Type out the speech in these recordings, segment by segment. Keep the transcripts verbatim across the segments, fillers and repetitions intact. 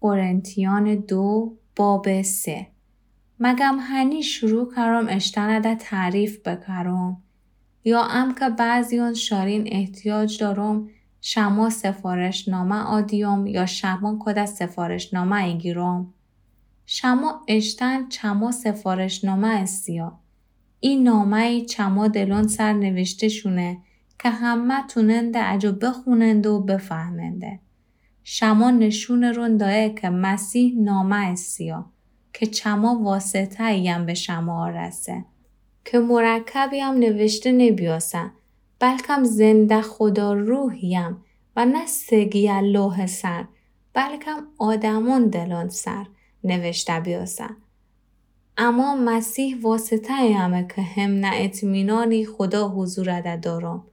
قرنتیان دو باب سه. مگم هنی شروع کرم اشتنده تعریف بکرم؟ یا امکه بعضیون شارین احتیاج دارم، شمه سفارشنامه آدیم یا شمه کده سفارشنامه ایگیرم؟ شمه اشتن چمه سفارشنامه استیا. ای نامه‌ای چمه دلون سر نوشته شونه که همه توننده اجو بخوننده و بفهمنده. شمه نشون رون دایه که مسیح نامه استیا که چمه واسطه‌ایم به شمه آرسه. که مرکبیم نوشته نبیاسه، بلکم زنده خدا روحیم و نه سگیه لوح سر، بلکم آدمون دلون سر نوشته بیاسه. اما مسیح واسطه‌یمه که همنه اطمینانی خدا حضورده دارم.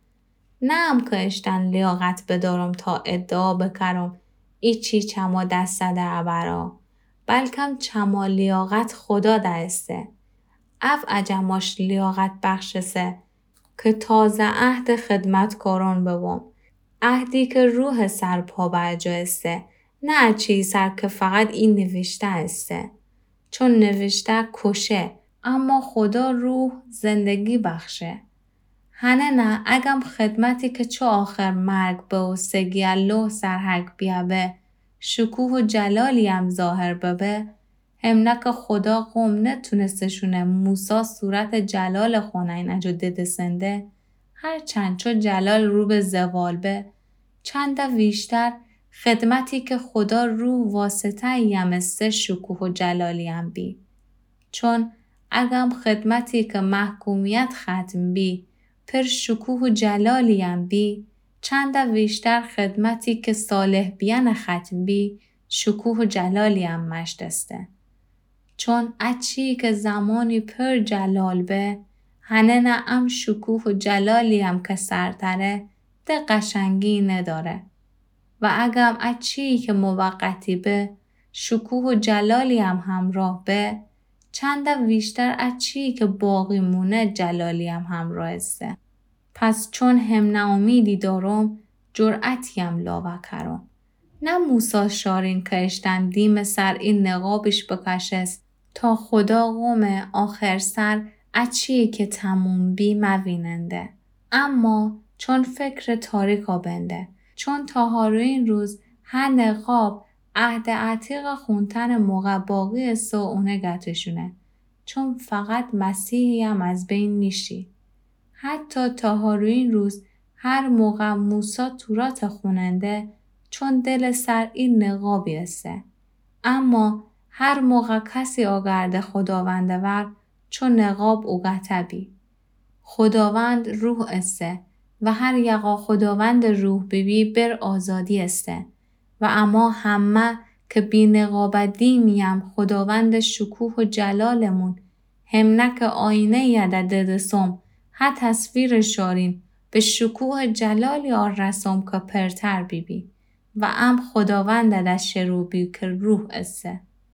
نه امکه اشتن لیاقت بدارم تا ادعا بکرم ایچی چمه دستده ابرا، بلکم چمه لیاقت خدا دئسته. او اجماش لیاقت بخشسه که تازه عهد خدمتکاران ببم، عهدی که روح سر پا بر جا ایسه، نه اچی سر که فقط ای نوشته ایسه. چون نوشته کشه، اما خدا روح زندگی بخشه. هنه نه اگم خدمتی که چو آخر مرگ به و سگیه لوح سر حک بیه به، شکوه و جلالی هم ظاهر ببه، همنه که خدا قوم نتونسته شونه موسی صورت جلال خونه این اجو ددسنده، هرچند چو جلال رو به زوال به، چنده ویشتر خدمتی که خدا روح واسطه‌یم ایسه شکوه و جلالیم بی. چون اگم خدمتی که محکومیت ختم بی، پر شکوه و جلالیم بی، چنده ویشتر خدمتی که صالح بیان ختم بی، شکوه و جلالیم مشتسته. چون اچی که زمانی پر جلال به، هنه نه ام شکوه و جلالیم که سرتره، ده قشنگی نداره. و اگم اچی که موقتی به، شکوه و جلالیم همراه به، چنده ویشتر اچی که باقی مونه جلالیم همراه ایسه. پس چون همنه امیدی دارم، جرأتیم لاوه کرم. نه موسی شارین که اشتن دیم سر ای نقابیش بکشس تا خدا قوم آخر سر اچی که تموم بی مویننده. اما چون فکر تاریکا بنده. چون تا هاروین روز هه نقاب عهد عتیق خونتن موقع باقی ایسه و اونه گتشونه. چون فقط مسیحیم از بین نیشی. حتی تا هاروین روز هر موقع موسی تورات خوننده، چون دل سر ای نقابی ایسه. اما هر موقع کسی آگرده خداوند ور، چو نقاب اوگته بی. خداوند روح ایسه و هر یقا خداوند روح بیبی بر آزادی ایسه. و اما همه که بی نقابه دیمیم خداوند شکوه و جلالمون، همنه که آینه‌یه ده ددسم، هه تصویر شارین به شکوه جلالی آرسم که پرتر بیبی و ام خداوند ده شرو بی که روح ایسه.